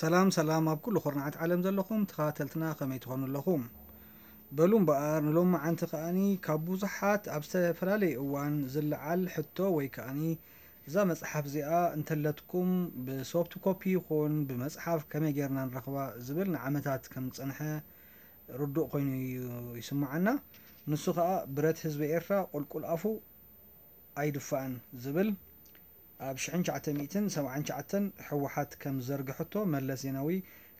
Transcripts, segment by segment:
ሰላም ሰላም፣ ኣብ ኩሉ ኩርናዓት ዓለም ዘለኹም ተኸታተልትና ከመይ ትኾኑ ኣለኹም? በሉ እምበኣር ንሎሚ መዓንቲ ከኣኒ ካብ ብዙሓት ኣብ ዝተፈላለየ እዋን ዝለዓል ሕቶ ወይ ከኣኒ እዛ መጽሓፍ እዚኣ እንተለትኩም ብሶፍት ኮፒ ይኹን ብመጽሓፍ ከመይ ጌርና ንረኽባ ዝብል ንዓመታት ከም ዝጸንሐ ርዱእ ኮይኑ እዩ ይስምዓና። ንሱ ከኣ ብረት ህዝቢ ኤርትራ ቁልቁል ኣፉ ኣይድፋእን ዝብል ኣብ ሽሕን ትሽዓተ ሚእትን ሰብዓን ትሽዓተን ህወሓት ከም ዝዘርግሐቶ መለስ ዜናዊ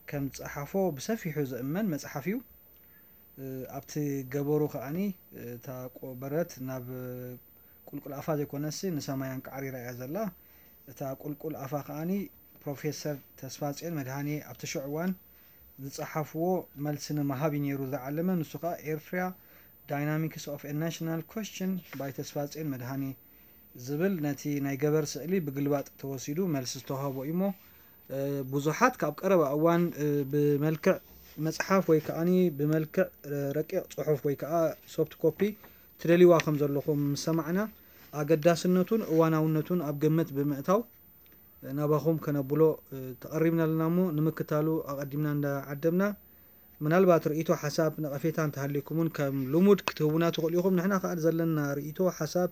ከም ዝጸሓፎ ብሰፊሑ ዝእመን መጽሓፍ እዩ። ኣብቲ ገበሩ ከኣኒ እታ ቆ- በረት ናብ ቁልቁል ኣፋ ዘይኮነሲ ንሰማይ ኣንቃዕሪራ እያ ዘላ። እታ ቁልቁል ኣፋ ከኣኒ ፕሮፌሰር ተስፋጽዮን መድሃኔ ኣብቲ ሽዑ እዋን ዝጸሓፍዎ መልሲ ንምሃብ እዩ ነይሩ ዝዓለመ። ንሱ ከኣ ኤርትራ Dynamics of a National Question by ተስፋጽዮን መድሃኔ ዝብል ነቲ ናይ ገበር ስእሊ ብግልባጥ ተወሲዱ መልሲ ዝተዋህቦ እዩ እሞ፣ እ፣ ብዙሓት ካብ ቀረባ እዋን፣ እ፣ ብመልክዕ መጽሓፍ ወይ ከኣኒ ብመልክዕ፣ እ፣ ረቂቕ ጽሑፍ ወይ ከኣ ሶፍት ኮፒ ትደልይዋ ከም ዘለኹም ምስ ሰማዕና፣ ኣገዳስነቱን እዋናውነቱን ኣብ ግምት ብምእታው፣ እ፣ ናባኹም ከነብሎ፣ እ፣ ተቐሪብና ኣለና እሞ፣ ንምክታሉ ኣቐዲምና እንዳዓደምና፣ ምናልባት ርእይቶ፣ ሓሳብ፣ ነቐፌታ እንተሃልዩኩም እውን ከም ልሙድ ክትህቡና ትኽእሉ ኢኹም። ንሕና ከኣ ዘለና ርእይቶ፣ ሓሳብ፣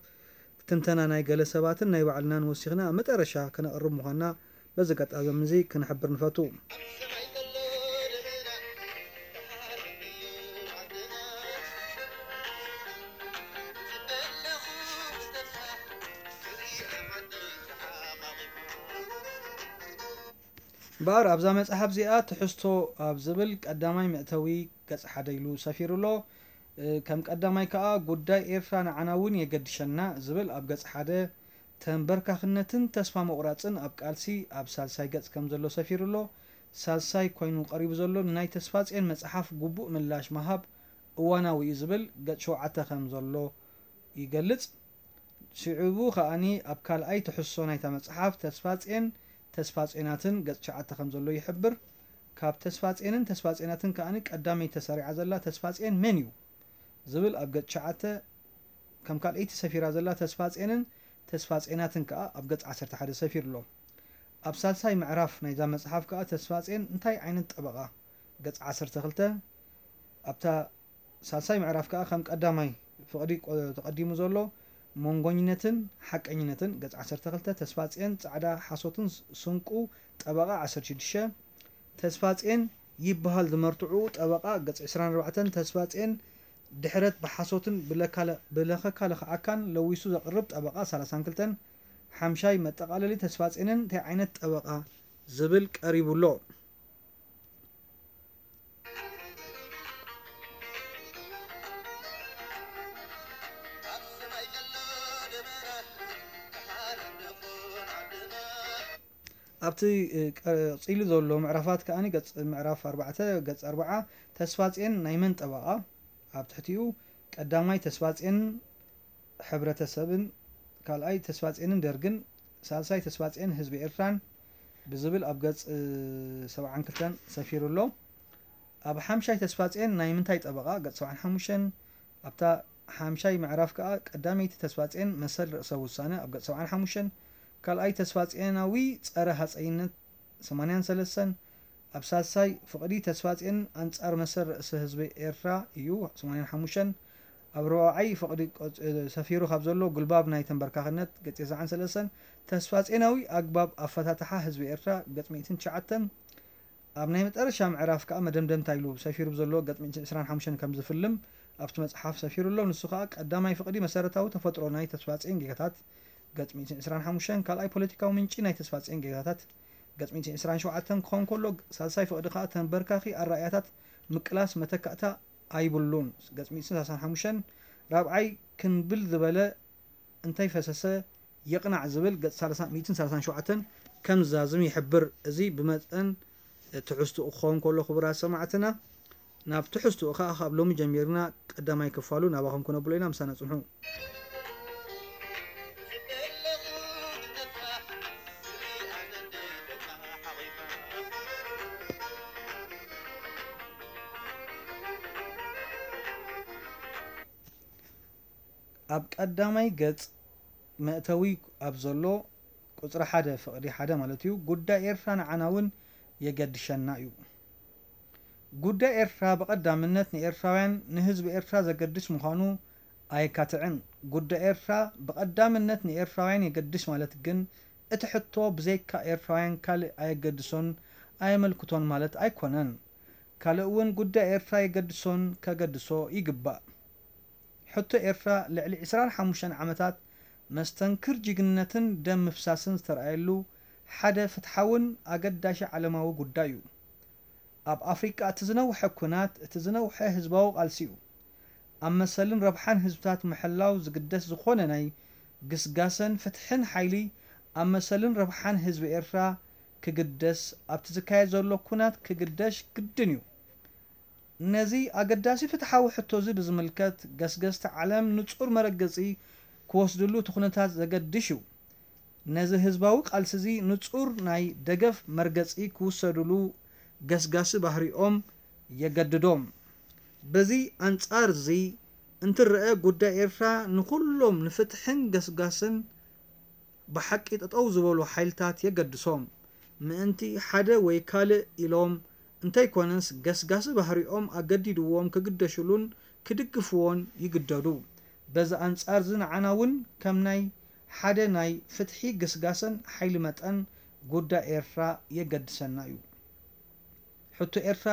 ትንተና ናይ ገለ ሰባትን ናይ ባዕልናን ወሲኽና ኣብ መጠረሻ ከነቕርብ ምዃንና በዚ ኣጋጣሚ እዚ ክንሕብር ንፈቱ። እምበኣር ኣብዛ መጽሓፍ እዚኣ ትሕዝቶ ኣብ ዝብል ቀዳማይ መእተዊ ገጽ ሓደ ኢሉ ሰፊሩ ኣሎ። እ፣ ከም ቀዳማይ ከኣ ጉዳይ ኤርትራ ንዓና እውን የገድሸና ዝብል ኣብ ገጽ ሓደ፣ ተንበርካኽነትን ተስፋ ምቑራጽን ኣብ ቃልሲ ኣብ ሳልሳይ ገጽ ከም ዘሎ ሰፊሩ ኣሎ። ሳልሳይ ኮይኑ ቀሪቡ ዘሎ ንናይ ተስፋጽዮን መጽሓፍ ግቡእ ምላሽ ምሃብ እዋናዊ እዩ ዝብል ገጽ ሸውዓተ ከም ዘሎ ይገልጽ። ሽዑ ከኣኒ ኣብ ካልኣይ ትሕዝቶ ናይታ መጽሓፍ ተስፋጽዮን ተስፋጽዮናትን ገጽ ትሽዓተ ከም ዘሎ ይሕብር። ካብ ተስፋጽዮንን ተስፋጽዮናትን ከኣኒ ቀዳመይቲ ተሰሪዓ ዘላ ተስፋጽዮን መን እዩ ዝብል ኣብ ገጽ ትሽዓተ ከም ካልኣይቲ ሰፊራ ዘላ ተስፋጽዮንን ተስፋጽዮናትን ከኣ ኣብ ገጽ ዓሰርተ ሓደ ሰፊሩ ኣሎ። ኣብ ሳልሳይ ምዕራፍ ናይዛ መጽሓፍ ከኣ ተስፋጽዮን እንታይ ዓይነት ጠበቓ፣ ገጽ ዓሰርተ ክልተ፣ ኣብታ ሳልሳይ ምዕራፍ ከኣ ከም ቀዳማይ ፍቕዲ ቆ-፣ ተቐዲሙ ዘሎ መንጎኝነትን ሓቀኝነትን፣ ገጽ ዓሰርተ ክልተ፣ ተስፋጽዮን ጻዕዳ ሓሶትን ስ-፣ ስንቁ ጠበቓ፣ ዓሰርተ ሽዱሽተ፣ ተስፋጽዮን ይበሃል ዝመርትዑ ጠበቓ፣ ገጽ ዕስራን ኣርባዕተን፣ ተስፋጽዮን ድሕረት ብሓሶትን ብለካለ-፣ ብለኸካለኸዓካን ለዊሱ ዘቕርብ ጠበቓ፣ ሰላሳን ክልተን፣ ሓምሻይ መጠቓለሊ ተስፋጽዮንን እንታይ ዓይነት ጠበቓ ዝብል ቀሪቡ ኣሎ። ኣብቲ፣ እ፣ ቀጺሉ ዘሎ ምዕራፋት ከኣ ገጽ ምዕራፍ ኣርባዕተ፣ ገጽ ኣርብዓ፣ ተስፋጽዮን ናይ መን ጠበቓ? ኣብ ትሕቲኡ ቀዳማይ ተስፋጽዮን ሕብረተሰብን፣ ካልኣይ ተስፋጽዮንን ደርግን፣ ሳልሳይ ተስፋጽዮን ህዝቢ ኤርትራን ብዝብል ኣብ ገጽ፣ እ፣ ሰብዓን ክልተን ሰፊሩ ኣሎ። ኣብ ሓምሻይ ተስፋጽዮን ናይ ምንታይ ጠበቓ? ገጽ ሰብዓን ሓሙሽተን። ኣብታ ሓምሻይ ምዕራፍ ከኣ ቀዳመይቲ ተስፋጽዮን መሰል ርእሰ ውሳነ ኣብ ገጽ ሰብዓን ሓሙሽተን፣ ካልኣይ ተስፋጽዮናዊ ጸረ ሃጸይነት ሰማንያን ሰለስተን፣ ኣብ ሳልሳይ ፍቕዲ ተስፋጽዮን ኣንጻር መሰል ርእሰ ህዝቢ ኤርትራ እዩ ሰማንያን ሓሙሽተን፣ ኣብ ራብዓይ ፍቕዲ ቆጽ-፣ ሰፊሩ ካብ ዘሎ ጉልባብ ናይ ተንበርካኽነት ገጽ ተስዓን ሰለስተን፣ ተስፋጽዮናዊ ኣግባብ ኣፈታትሓ ህዝቢ ኤርትራ ገጽ ሚእትን ትሽዓተን፣ ኣብ ናይ መጠረሻ ምዕራፍ ከኣ መደምደምታ ኢሉ ሰፊሩ ብዘሎ ገጽ ሚእትን ዕስራን ሓሙሽተን ከም ዝፍልም ኣብቲ መጽሓፍ ሰፊሩ ኣሎ። ንሱ ከኣ ቀዳማይ ፍቕዲ መሰረታዊ ተፈጥሮ ናይ ተስፋጽዮን ጌጋታት፣ ገጽ ሚእትን ዕስራን ሓሙሽተን፣ ካልኣይ ፖለቲካዊ ምንጪ ናይ ተስፋጽዮን ጌጋታት፣ ገጽ ሚእትን ዕስራን ሸውዓተን ክኸውን ከሎ፣ ሳልሳይ ፍቕዲ ከኣ ተንበርካኺ ኣረኣእያታት ምቅላስ መተካእታ ኣይብሉን፣ ገጽ ሚእትን ሰላሳን ሓሙሽተን፣ ራብዓይ ክንብል ዝበለ እንተይፈሰሰ ይቕናዕ ዝብል ገጽ ሰላሳ፣ ሚእትን ሰላሳን ሸውዓተን ከም ዝዛዝም ይሕብር። እዚ ብመጠን ትሕዝትኡ ክኸውን ከሎ፣ ክቡራት ሰማዕትና፣ ናብ ትሕዝትኡ ከኣ ካብ ሎሚ ጀሚርና ቀዳማይ ክፋሉ ናባኹም ክነብሎ ኢና። ምሳና ጽንሑ። ኣብ ቀዳማይ ገጽ መእተዊ ኣብ ዘሎ ቁጽሪ ሓደ ፍቕዲ ሓደ ማለት እዩ፣ ጉዳይ ኤርትራ ንዓና እውን የገድሸና እዩ። ጉዳይ ኤርትራ ብቐዳምነት ንኤርትራውያን፣ ንህዝቢ ኤርትራ ዘገድስ ምዃኑ ኣየካትዕን። ጉዳይ ኤርትራ ብቐዳምነት ንኤርትራውያን የገድስ ማለት ግን፣ እቲ ሕቶ ብዘይካ ኤርትራውያን ካልእ ኣየገድሶን ኣየመልክቶን ማለት ኣይኮነን። ካልእ እውን ጉዳይ ኤርትራ የገድሶን ከገድሶ ይግባእ። ሕቶ ኤርትራ ልዕሊ ዕስራን ሓሙሽተን ዓመታት መስተንክር ጅግንነትን ደም ምፍሳስን ዝተረኣየሉ ሓደ ፍትሓውን ኣገዳሺ ዓለማዊ ጉዳይ እዩ። ኣብ ኣፍሪቃ እቲ ዝነውሐ ኲናት፣ እቲ ዝነውሐ ህዝባዊ ቃልሲ እዩ። ኣብ መሰልን ረብሓን ህዝብታት ምሕላው ዝግደስ ዝኾነ ናይ ግስጋሰን ፍትሕን ሓይሊ፣ ኣብ መሰልን ረብሓን ህዝቢ ኤርትራ ክግደስ፣ ኣብቲ ዝካየድ ዘሎ ኲናት ክግደሽ ግድን እዩ። ነዚ ኣገዳሲ ፍትሓዊ ሕቶዚ ብዝምልከት፣ ገስገስቲ ዓለም ንጹር መረገጺ ክወስድሉ እቲ ኩነታት ዘገድሽ እዩ። ነዚ ህዝባዊ ቃልሲዚ ንጹር ናይ ደገፍ መርገጺ ክውሰድሉ ገስጋሲ ባህሪኦም የገድዶም። በዚ ኣንጻርዚ እንትረአ፣ ጉዳይ ኤርትራ ንኹሎም ንፍትሕን ገስጋስን ብሓቂ ጠጠው ዝበሉ ሓይልታት የገድሶም። ምእንቲ ሓደ ወይ ካልእ ኢሎም እንተይኮነስ፣ ገስጋሲ ባህሪኦም ኣገዲድዎም ክግደሽሉን ክድግፍዎን ይግደዱ። በዚ ኣንጻርዚ ንዓና እውን ከም ናይ ሓደ ናይ ፍትሒ ግስጋሰን ሓይሊ መጠን ጉዳይ ኤርትራ የገድሰና እዩ። ሕቶ ኤርትራ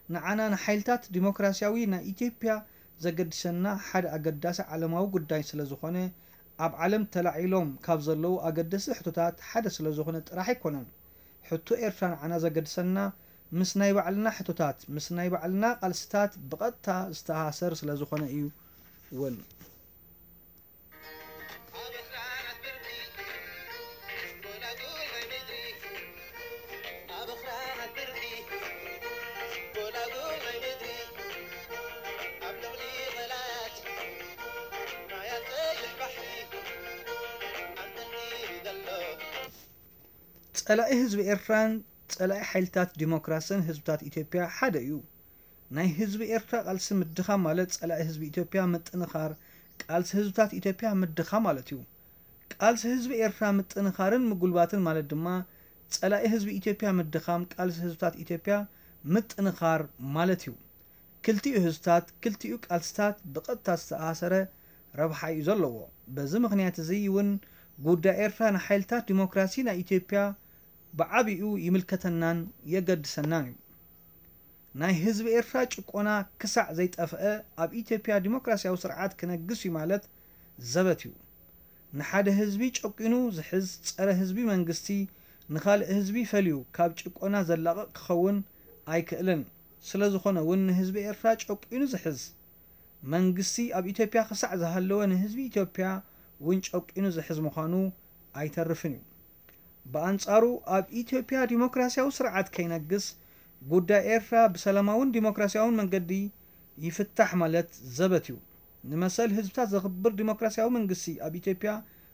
ንዓና ንሓይልታት ዲሞክራሲያዊ ናይ ኢትዮጵያ ዘገድሰና ሓደ ኣገዳሲ ዓለማዊ ጉዳይ ስለ ዝኾነ፣ ኣብ ዓለም ተላዒሎም ካብ ዘለዉ ኣገደስቲ ሕቶታት ሓደ ስለ ዝኾነ ጥራሕ ኣይኮነን። ሕቶ ኤርትራ ንዓና ዘገድሰና ምስ ናይ ባዕልና ሕቶታት፣ ምስ ናይ ባዕልና ቃልስታት ብቐጥታ ዝተኣሳሰር ስለ ዝኾነ እዩ እውን። ኣብ ኣኽራናት ብርቂ ጎላጉል ናይ ምድሪ፣ ኣብ ኣኽራናት ብርቂ ጎላጉል ናይ ምድሪ፣ ኣብ ልዕሊ ቐላት ማያት ቀይሕ ባሕሪ ኣንጠልጢሉ ዘሎ። ጸላኢ ህዝቢ ኤርትራን ጸላኢ ሓይልታት ዲሞክራስን ህዝብታት ኢትዮጵያ ሓደ እዩ። ናይ ህዝቢ ኤርትራ ቃልሲ ምድኻም ማለት ጸላኢ ህዝቢ ኢትዮጵያ ምጥንኻር ቃልሲ ህዝብታት ኢትዮጵያ ምድኻም ማለት እዩ። ቃልሲ ህዝቢ ኤርትራ ምጥንኻርን ምጉልባትን ማለት ድማ ጸላኢ ህዝቢ ኢትዮጵያ ምድኻም ቃልሲ ህዝብታት ኢትዮጵያ ምጥንኻር ማለት እዩ። ክልቲኡ ህዝብታት፣ ክልቲኡ ቃልስታት ብቐጥታ ዝተኣሳሰረ ረብሓ እዩ ዘለዎ። በዚ ምኽንያት እዚ እውን ጉዳይ ኤርትራ ንሓይልታት ዲሞክራሲ ናይ ኢትዮጵያ ብዓቢኡ ይምልከተናን የገድሰናን እዩ። ናይ ህዝቢ ኤርትራ ጭቆና ክሳዕ ዘይጠፍአ፣ ኣብ ኢትዮጵያ ዲሞክራሲያዊ ስርዓት ክነግስ እዩ ማለት ዘበት እዩ። ንሓደ ህዝቢ ጨቂኑ ዝሕዝ ጸረ ህዝቢ መንግስቲ ንኻልእ ህዝቢ ፈልዩ ካብ ጭቆና ዘላቕቕ ክኸውን ኣይክእልን። ስለ ዝኾነ እውን ንህዝቢ ኤርትራ ጨቂኑ ዝሕዝ መንግስቲ ኣብ ኢትዮጵያ ክሳዕ ዝሃለወ ንህዝቢ ኢትዮጵያ እውን ጨቂኑ ዝሕዝ ምዃኑ ኣይተርፍን እዩ። ብኣንጻሩ ኣብ ኢትዮጵያ ዲሞክራሲያዊ ስርዓት ከይነግስ ጉዳይ ኤርትራ ብሰላማውን ዲሞክራሲያውን መንገዲ ይፍታሕ ማለት ዘበት እዩ። ንመሰል ህዝብታት ዘኽብር ዲሞክራሲያዊ መንግስቲ ኣብ ኢትዮጵያ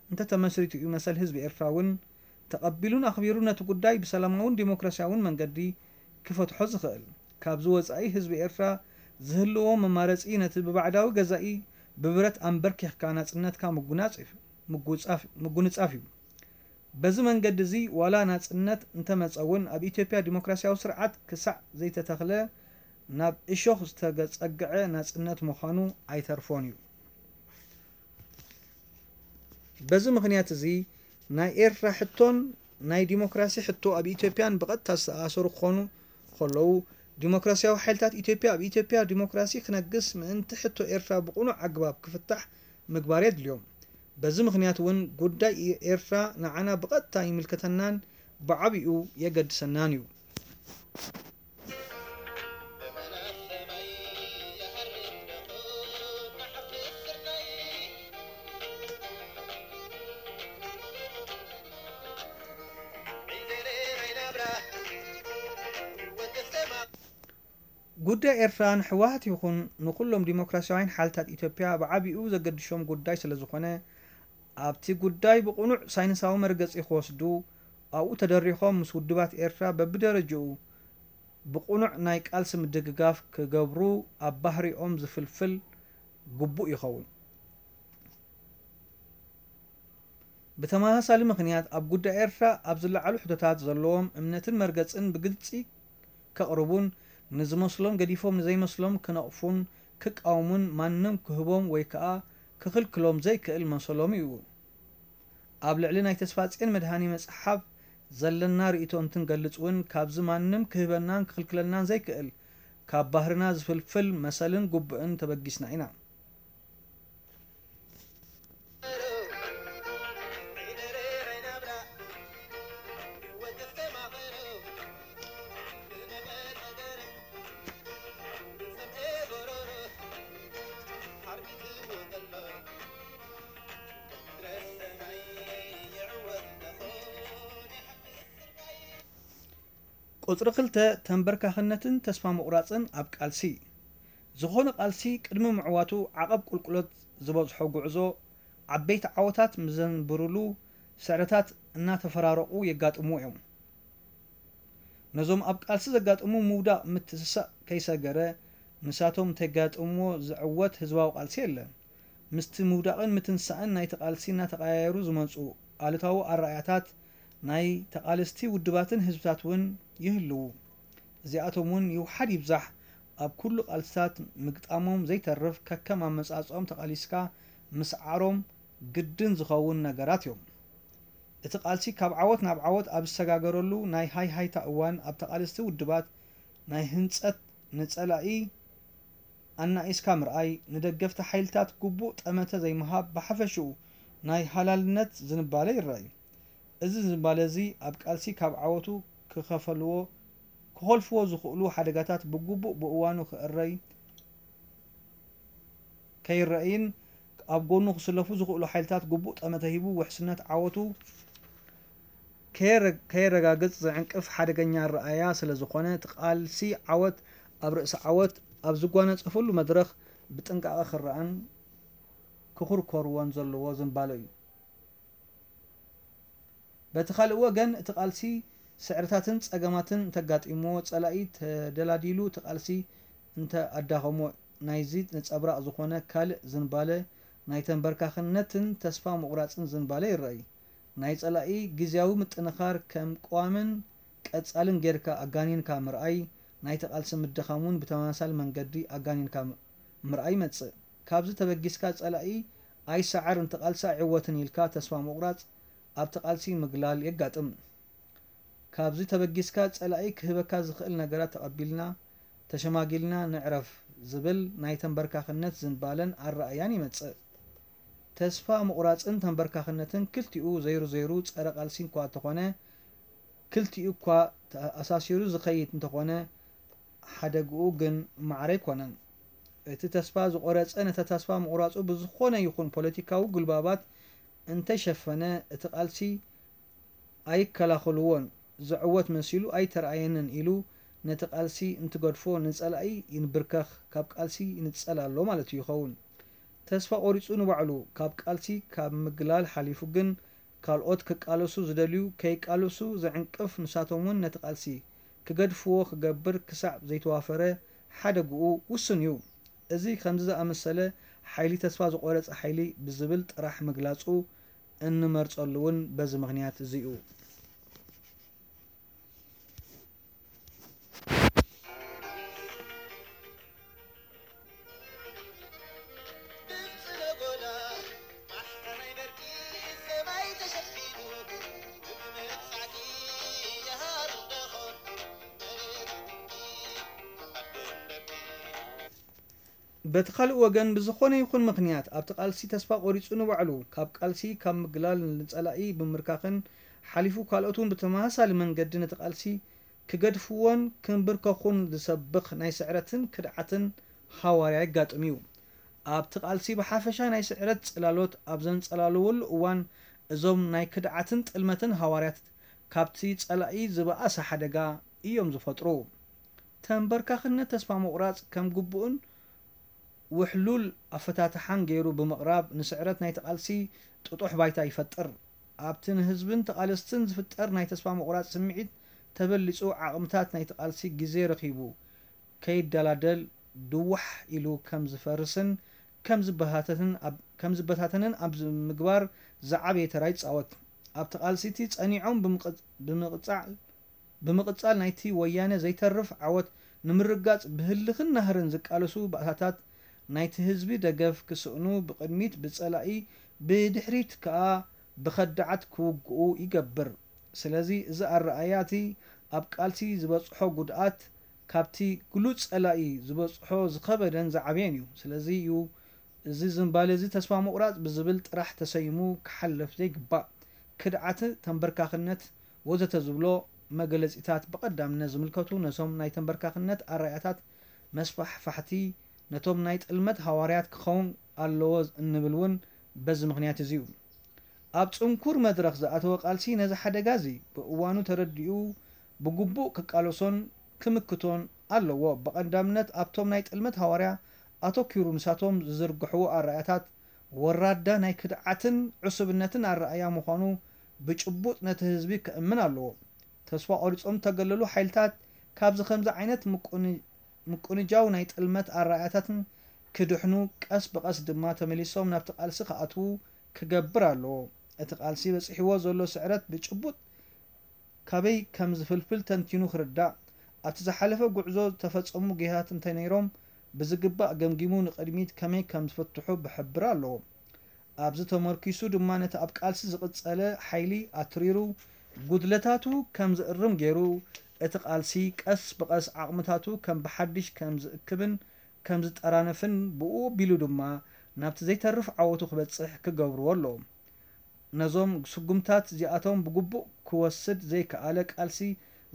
እንተተመስሪቱ እዩ መሰል ህዝቢ ኤርትራ እውን ተቐቢሉን ኣኽቢሩን ነቲ ጉዳይ ብሰላማውን ዲሞክራሲያውን መንገዲ ክፈትሖ ዝኽእል። ካብዚ ወጻኢ ህዝቢ ኤርትራ ዝህልዎ መማረጺ ነቲ ብባዕዳዊ ገዛኢ ብብረት ኣንበርኪኽካ ናጽነትካ ምጉናጽፍ-፣ ምጉጻፍ-፣ ምጉንጻፍ እዩ። በዚ መንገዲ እዚ ዋላ ናጽነት እንተመጸ እውን ኣብ ኢትዮጵያ ዲሞክራሲያዊ ስርዓት ክሳዕ ዘይተተኽለ ናብ እሾኽ ዝተጸግዐ ናጽነት ምዃኑ ኣይተርፎን እዩ። በዚ ምኽንያት እዚ ናይ ኤርትራ ሕቶን ናይ ዲሞክራሲ ሕቶ ኣብ ኢትዮጵያን ብቐጥታ ዝተኣሳሰሩ ክኾኑ ከለዉ፣ ዲሞክራሲያዊ ሓይልታት ኢትዮጵያ ኣብ ኢትዮጵያ ዲሞክራሲ ክነግስ ምእንቲ ሕቶ ኤርትራ ብቕኑዕ ኣገባብ ክፍታሕ ምግባር የድልዮም። በዚ ምኽንያት እውን ጉዳይ ኤርትራ ንዓና ብቐጥታ ይምልከተናን ብዓቢኡ የገድሰናን እዩ። ጉዳይ ኤርትራ ንህወሓት ይኹን ንኹሎም ዲሞክራሲያውያን ሓይልታት ኢትዮጵያ ብዓቢኡ ዘገድሾም ጉዳይ ስለ ዝኾነ፣ ኣብቲ ጉዳይ ብቕኑዕ ሳይንሳዊ መርገጺ ክወስዱ፣ ኣብኡ ተደሪኾም ምስ ውድባት ኤርትራ በብደረጅኡ ብቕኑዕ ናይ ቃልሲ ምድግጋፍ ክገብሩ ኣብ ባህሪኦም ዝፍልፍል ግቡእ ይኸውን። ብተመሳሳሊ ምኽንያት፣ ኣብ ጉዳይ ኤርትራ ኣብ ዝለዓሉ ሕቶታት ዘለዎም እምነትን መርገጽን ብግልጺ ከቕርቡን፣ ንዝመስሎም ገዲፎም ንዘይመስሎም ክነቕፉን ክቃወሙን ማንም ክህቦም ወይ ከኣ ክኽልክሎም ዘይክእል መሰሎም እዩ። ኣብ ልዕሊ ናይ ተስፋጽዮን መድሃኔ መጽሓፍ ዘለና ርእይቶ እንትንገልጽ እውን፣ ካብዚ ማንም ክህበናን ክኽልክለናን ዘይክእል፣ ካብ ባህርና ዝፍልፍል መሰልን ግቡእን ተበጊስና ኢና። ቁጽሪ ክልተ፣ ተንበርካኽነትን ተስፋ ምቑራጽን ኣብ ቃልሲ። ዝኾነ ቃልሲ ቅድሚ ምዕዋቱ ዓቐብ ቁልቁለት ዝበዝሖ ጉዕዞ፣ ዓበይቲ ዓወታት ምዘንብሩሉ ስዕረታት እናተፈራረቑ የጋጥምዎ እዮም። ነዞም ኣብ ቃልሲ ዘጋጥሙ ምውዳቕ ምትስሳእ ከይሰገረ፣ ንሳቶም እንተጋጥምዎ ዝዕወት ህዝባዊ ቃልሲ የለን። ምስቲ ምውዳቕን ምትንሳእን ናይቲ ቃልሲ እናተቐያየሩ ዝመጹ ኣሉታዊ ኣረኣእያታት ናይ ተቓለስቲ ውድባትን ህዝብታት እውን ይህልዉ። እዚኣቶም እውን ይውሓድ ይብዛሕ ኣብ ኩሉ ቃልስታት ምግጣሞም ዘይተርፍ፣ ከከም ኣመጻጽኦም ተቓሊስካ ምስዓሮም ግድን ዝኸውን ነገራት እዮም። እቲ ቃልሲ ካብ ዓወት ናብ ዓወት ኣብ ዝሰጋገረሉ ናይ ሃይሃይታ እዋን፣ ኣብ ተቓለስቲ ውድባት ናይ ህንጸት፣ ንጸላኢ ኣናኢስካ ምርኣይ፣ ንደገፍቲ ሓይልታት ግቡእ ጠመተ ዘይምሃብ፣ ብሓፈሽኡ ናይ ሃላልነት ዝንባለ ይረኣዩ። እዚ ዝንባለ እዚ ኣብ ቃልሲ ካብ ዓወቱ ክኸፈልዎ፣ ክኾልፍዎ ዝኽእሉ ሓደጋታት ብግቡእ ብእዋኑ ክእረይ፣ ከይረኣይን ኣብ ጎኑ ክስለፉ ዝኽእሉ ሓይልታት ግቡእ ጠመተ ሂቡ ውሕስነት ዓወቱ ከየረ-፣ ከየረጋግጽ ዝዕንቅፍ ሓደገኛ ኣረኣእያ ስለ ዝኾነ፣ እቲ ቃልሲ ዓወት ኣብ ርእሲ ዓወት ኣብ ዝጓነጸፈሉ መድረኽ ብጥንቃቐ ክረኣን ክኹርኮርዎን ዘለዎ ዝንባለ እዩ። በቲ ካልእ ወገን፣ እቲ ቃልሲ ስዕርታትን ጸገማትን እንተጋጢምዎ፣ ጸላኢ ተደላዲሉ እቲ ቃልሲ እንተ ኣዳኸሞ፣ ናይዚ ነጸብራቕ ዝኾነ ካልእ ዝንባለ ናይ ተንበርካኽነትን ተስፋ ምቑራጽን ዝንባለ ይረኣይ። ናይ ጸላኢ ግዝያዊ ምጥንኻር ከም ቀዋምን ቀጻልን ጌርካ ኣጋኒንካ ምርኣይ፣ ናይቲ ቃልሲ ምድኻም እውን ብተመሳሳሊ መንገዲ ኣጋኒንካ ም-፣ ምርኣይ ይመጽእ። ካብዚ ተበጊስካ ጸላኢ ኣይሰዓርን፣ እቲ ቃልሲ ኣይዕወትን ኢልካ ተስፋ ምቑራጽ ኣብቲ ቃልሲ ምግላል የጋጥም። ካብዚ ተበጊስካ ጸላኢ ክህበካ ዝኽእል ነገራት ተቐቢልና፣ ተሸማጊልና ንዕረፍ ዝብል ናይ ተንበርካኽነት ዝንባለን ኣረኣእያን ይመጽእ። ተስፋ ምቑራጽን ተንበርካኽነትን ክልቲኡ ዘይሩ ዘይሩ ጸረ ቃልሲ እኳ እንተኾነ፣ ክልቲኡ እኳ ተኣሳሲሩ ዝኸይድ እንተኾነ፣ ሓደግኡ ግን ማዕረ ኣይኮነን። እቲ ተስፋ ዝቖረጸ ነቲ ተስፋ ምቑራጹ ብዝኾነ ይኹን ፖለቲካዊ ጉልባባት እንተይሸፈነ፣ እቲ ቃልሲ ኣይከላኸልዎን፣ ዝዕወት መሲሉ ኣይተራእየንን ኢሉ ነቲ ቃልሲ እንትገድፎ፣ ንጸላኢ ይንብርከኽ፣ ካብ ቃልሲ ይንጸል ኣሎ ማለት እዩ ይኸውን። ተስፋ ቆሪጹ ንባዕሉ ካብ ቃልሲ ካብ ምግላል ሓሊፉ ግን ካልኦት ክቃለሱ ዝደልዩ ከይቃለሱ ዝዕንቅፍ፣ ንሳቶም እውን ነቲ ቃልሲ ክገድፍዎ ክገብር ክሳዕ ዘይተዋፈረ ሓደግኡ ውሱን እዩ። እዚ ከምዚ ዝኣመሰለ ሓይሊ ተስፋ ዝቖረጸ ሓይሊ ብዝብል ጥራሕ ምግላጹ እንመርጸሉ እውን በዚ ምኽንያት እዚ እዩ። በቲ ካልእ ወገን፣ ብዝኾነ ይኹን ምኽንያት ኣብቲ ቃልሲ ተስፋ ቆሪጹ ንባዕሉ ካብ ቃልሲ ካብ ምግላል ንጸላኢ ብምርካኽን ሓሊፉ ካልኦት እውን ብተመሳሳሊ መንገዲ ነቲ ቃልሲ ክገድፍዎን ክንብርከኹን ዝሰብኽ ናይ ስዕረትን ክድዓትን ሃዋርያ የጋጥም እዩ። ኣብቲ ቃልሲ ብሓፈሻ ናይ ስዕረት ጽላሎት ኣብ ዘንጸላልወሉ እዋን፣ እዞም ናይ ክድዓትን ጥልመትን ሃዋርያት ካብቲ ጸላኢ ዝበኣሰ ሓደጋ እዮም ዝፈጥሩ። ተንበርካኽነት ተስፋ ምቑራጽ ከም ግቡእን ውሕሉል ኣፈታትሓን ገይሩ ብምቕራብ፣ ንስዕረት ናይቲ ቃልሲ ጥጡሕ ባይታ ይፈጥር። ኣብቲ ንህዝብን ተቓለስትን ዝፍጠር ናይ ተስፋ ምቑራጽ ስምዒት ተበሊጹ፣ ዓቕምታት ናይቲ ቃልሲ ግዜ ረኺቡ ከይደላደል ድዋሕ ኢሉ ከም ዝፈርስን ከም ዝበታተንን ኣብ-፣ ከም ዝበታተንን ኣብ ምግባር ዝዓበየ ተራ ይጻወት። ኣብቲ ቃልሲ እቲ ጸኒዖም ብምቕጽ-፣ ብምቕጻል፣ ብምቕጻል ናይቲ ወያነ ዘይተርፍ ዓወት ንምርጋጽ ብህልኽን ናህርን ዝቃለሱ ባእታታት ናይቲ ህዝቢ ደገፍ ክስእኑ ብቕድሚት ብጸላኢ ብድሕሪት ከኣ ብኸዳዓት ክውግኡ ይገብር። ስለዚ እዚ ኣረኣእያ እቲ ኣብ ቃልሲ ዝበጽሖ ጉድኣት ካብቲ ግሉጽ ጸላኢ ዝበጽሖ ዝኸበደን ዝዓበየን እዩ። ስለዚ እዩ እዚ ዝንባለ እዚ ተስፋ ምቑራጽ ብዝብል ጥራሕ ተሰይሙ ክሓልፍ ዘይግባእ። ክድዓት፣ ተንበርካኽነት ወዘተ ዝብሎ መገለጺታት ብቐዳምነት ዝምልከቱ ነቶም ናይ ተንበርካኽነት ኣረኣእያታት መስፋሕፋሕቲ ነቶም ናይ ጥልመት ሃዋርያት ክኸውን ኣለዎ እንብል እውን በዚ ምኽንያት እዚ እዩ። ኣብ ጽንኩር መድረኽ ዝኣተወ ቃልሲ ነዚ ሓደጋ እዚ ብእዋኑ ተረዲኡ ብግቡእ ክቃለሶን ክምክቶን ኣለዎ። ብቐዳምነት ኣብቶም ናይ ጥልመት ሃዋርያ ኣተኲሩ ንሳቶም ዝዝርግሕዎ ኣረኣእያታት ወራዳ ናይ ክድዓትን ዕሱብነትን ኣረኣእያ ምዃኑ ብጭቡጥ ነቲ ህዝቢ ከእምን ኣለዎ። ተስፋ ቆሪጾም ዝተገለሉ ሓይልታት ካብዚ ከምዚ ዓይነት ምቁን-፣ ምቁንጃው ናይ ጥልመት ኣረኣእያታትን ክድሕኑ ቀስ ብቐስ ድማ ተመሊሶም ናብቲ ቃልሲ ክኣትዉ ክገብር ኣለዎ። እቲ ቃልሲ በጺሕዎ ዘሎ ስዕረት ብጭቡጥ ካበይ ከም ዝፍልፍል ተንቲኑ ክርዳእ፣ ኣብቲ ዝሓለፈ ጉዕዞ ዝተፈጸሙ ጌጋታት እንተነይሮም ብዝግባእ ገምጊሙ ንቕድሚት ከመይ ከም ዝፍትሑ ብሕብር ኣለዎ። ኣብዚ ተመርኲሱ ድማ ነቲ ኣብ ቃልሲ ዝቕጸለ ሓይሊ ኣትሪሩ ጉድለታቱ ከም ዝእርም ገይሩ እቲ ቃልሲ ቀስ ብቐስ ዓቕምታቱ ከም ብሓድሽ ከም ዝእክብን ከም ዝጠራነፍን ብኡ ኣቢሉ ድማ ናብቲ ዘይተርፍ ዓወቱ ክበጽሕ ክገብርዎ ኣለዎም። ነዞም ስጉምታት እዚኣቶም ብግቡእ ክወስድ ዘይከኣለ ቃልሲ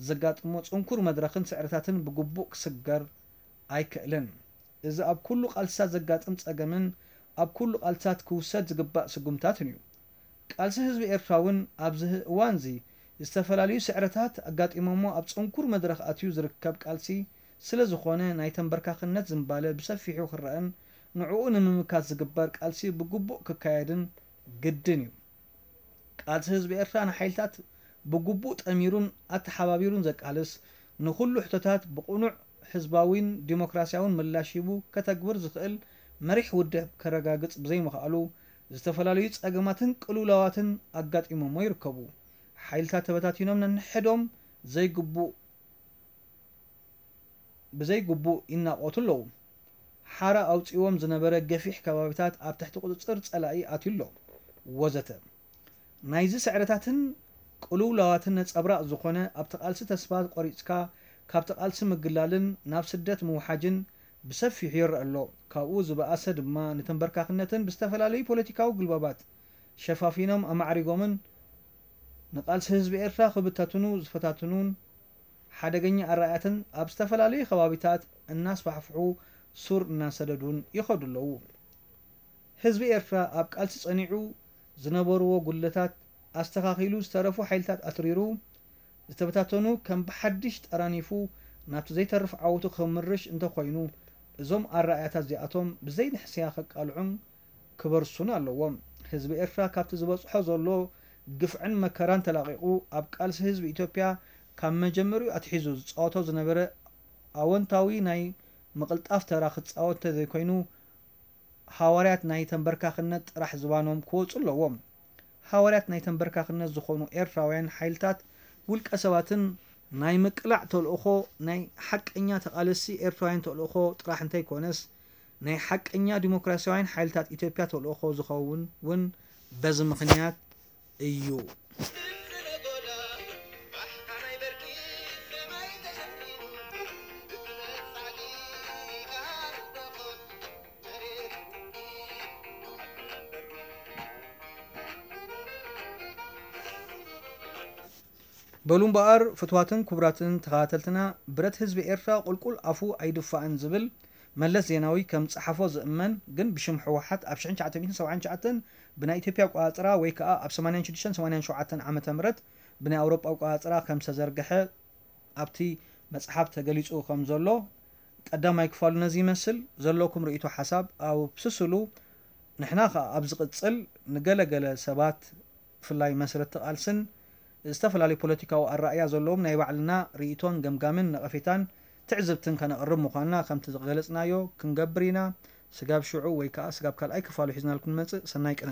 ዘጋጥሞ ጽንኩር መድረኽን ስዕረታትን ብግቡእ ክስገር ኣይክእልን። እዚ ኣብ ኩሉ ቃልስታት ዘጋጥም ጸገምን ኣብ ኩሉ ቃልስታት ክውሰድ ዝግባእ ስጉምታትን እዩ። ቃልሲ ህዝቢ ኤርትራ እውን ኣብዚ እዋንዚ ዝተፈላለዩ ስዕረታት ኣጋጢሞሞ ኣብ ጽንኩር መድረኽ ኣትዩ ዝርከብ ቃልሲ ስለ ዝኾነ ናይ ተንበርካኽነት ዝንባለ ብሰፊሑ ክረኣን ንዕኡ ንምምካት ዝግበር ቃልሲ ብግቡእ ክካየድን ግድን እዩ። ቃልሲ ህዝቢ ኤርትራ ንሓይልታት ብግቡእ ጠሚሩን ኣተሓባቢሩን ዘቃልስ፣ ንኹሉ ሕቶታት ብቕኑዕ ህዝባዊን ዲሞክራስያውን ምላሽ ሂቡ ከተግብር ዝኽእል መሪሕ ውድብ ከረጋግጽ ብዘይምኽኣሉ፣ ዝተፈላለዩ ጸገማትን ቅልውላዋትን ኣጋጢሞሞ ይርከቡ። ሓይልታት ተበታቲኖም ነንሕዶም ዘይግቡእ ብዘይግቡእ ይናቖቱ ኣለዉ። ሓራ ኣውጺእዎም ዝነበረ ገፊሕ ከባቢታት ኣብ ትሕቲ ቁጽጽር ጸላኢ ኣትዩ ኣሎ፣ ወዘተ። ናይዚ ስዕረታትን ቅልውላዋትን ነጸብራቕ ዝኾነ፣ ኣብቲ ቃልሲ ተስፋ ቆሪጽካ ካብቲ ቃልሲ ምግላልን ናብ ስደት ምውሓጅን ብሰፊሑ ይረአ ኣሎ። ካብኡ ዝበኣሰ ድማ ንተንበርካኽነትን ብዝተፈላለዩ ፖለቲካዊ ጉልባባት ሸፋፊኖም ኣማዕሪጎምን ንቃልሲ ህዝቢ ኤርትራ ክብታትኑ ዝፈታትኑን ሓደገኛ ኣረኣእያትን ኣብ ዝተፈላለዩ ከባቢታት እናስፋሕፍሑ ሱር እናሰደዱን ይኸዱ ኣለዉ። ህዝቢ ኤርትራ ኣብ ቃልሲ ጸኒዑ ዝነበርዎ ጉድለታት ኣስተኻኺሉ ዝተረፉ ሓይልታት ኣትሪሩ ዝተበታተኑ ከም ብሓድሽ ጠራኒፉ ናብቲ ዘይተርፍ ዓወቱ ክምርሽ እንተኾይኑ እዞም ኣረኣእያታት እዚኣቶም ብዘይ ንሕስያ ከቃልዑን ክበርሱን ኣለዎም። ህዝቢ ኤርትራ ካብቲ ዝበጽሖ ዘሎ ግፍዕን መከራን ተላቒቑ ኣብ ቃልሲ ህዝቢ ኢትዮጵያ ካብ መጀመሪኡ ኣትሒዙ ዝጻወቶ ዝነበረ ኣወንታዊ ናይ ምቕልጣፍ ተራ ክጻወት እንተዘይኮይኑ ሃዋርያት ናይ ተንበርካኽነት ጥራሕ ዝባኖም ክወጹ ኣለዎም። ሃዋርያት ናይ ተንበርካኽነት ዝኾኑ ኤርትራውያን ሓይልታት ውልቀ ሰባትን ናይ ምቅላዕ ተልእኾ ናይ ሓቀኛ ተቓለስቲ ኤርትራውያን ተልእኾ ጥራሕ እንተይኮነስ ናይ ሓቀኛ ዲሞክራስያውያን ሓይልታት ኢትዮጵያ ተልእኾ ዝኸውን እውን በዚ ምኽንያት እዩ። በሉ እምበኣር ፍትዋትን ክቡራትን ተኸታተልትና፣ ብረት ህዝቢ ኤርትራ ቁልቁል ኣፉ ኣይድፋእን ዝብል መለስ ዜናዊ ከም ጸሓፎ ዝእመን ግን ብሽም ህወሓት ኣብ ሽሕን ትሽዓተ ሚእትን ሰብዓን ትሽዓተን ብናይ ኢትዮጵያ ኣቆጻጽራ ወይ ከኣ ኣብ ሰማንያን ሽዱሽተን ሰማንያን ሸውዓተን ዓመተ ምህረት ብናይ ኣውሮጳ ኣቆጻጽራ ከም ዝተዘርግሐ ኣብቲ መጽሓፍ ተገሊጹ ከም ዘሎ ቀዳማይ ክፋሉ ነዚ ይመስል። ዘለኩም ርእይቶ ሓሳብ ኣብስስሉ። ንሕና ከኣ ኣብ ዝቕጽል ንገለ ገለ ሰባት ብፍላይ መስረትቲ ቃልስን ዝተፈላለዩ ፖለቲካዊ ኣረኣእያ ዘለዎም ናይ ባዕልና ርእይቶን ገምጋምን ነቐፌታን ትዕዝብትን ከነቕርብ ምዃንና ከምቲ ዝገለጽናዮ ክንገብር ኢና። ስጋብ ሽዑ ወይ ከዓ ስጋብ ካልኣይ ክፋሉ ሒዝናልኩም ንመፅእ። ሰናይ ቅነ።